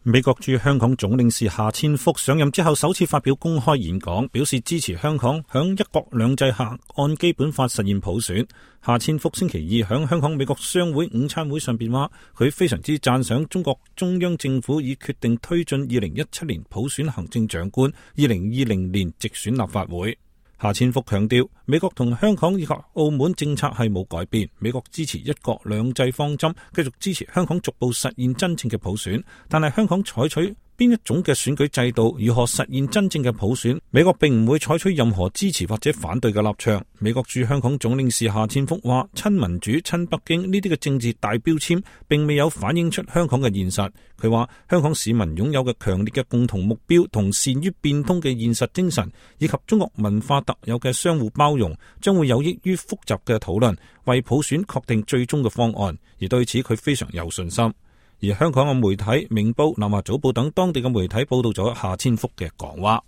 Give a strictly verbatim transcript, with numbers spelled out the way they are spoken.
美國駐香港總領事夏千福上任之後首次發表公開演講，表示支持香港響一國兩制下按基本法實現普選。夏千福星期二響香港美國商會午餐會上邊話，佢非常之讚賞中國中央政府已決定推進二零一七年普選行政長官，二零二零年直選立法會。夏千福強調，美國同香港以及澳門政策係冇改變，美國支持一國兩制方針，繼續支持香港逐步實現真正嘅普選，但係香港採取邊一種嘅選舉制度，如何實現真正嘅普選，美國並唔會採取任何支持或者反對嘅立場。美國駐香港總領事夏千福話，親民主、親北京呢啲嘅政治大標籤並未有反映出香港嘅現實。佢話香港市民擁有嘅強烈嘅共同目標同善於變通嘅現實精神，以及中國文化特有嘅相互包容，將會有益於複雜嘅討論，為普選確定最終嘅方案。而對此佢非常有信心。而香港嘅媒體明報、南華早報等當地嘅媒體報道咗夏千福嘅講話。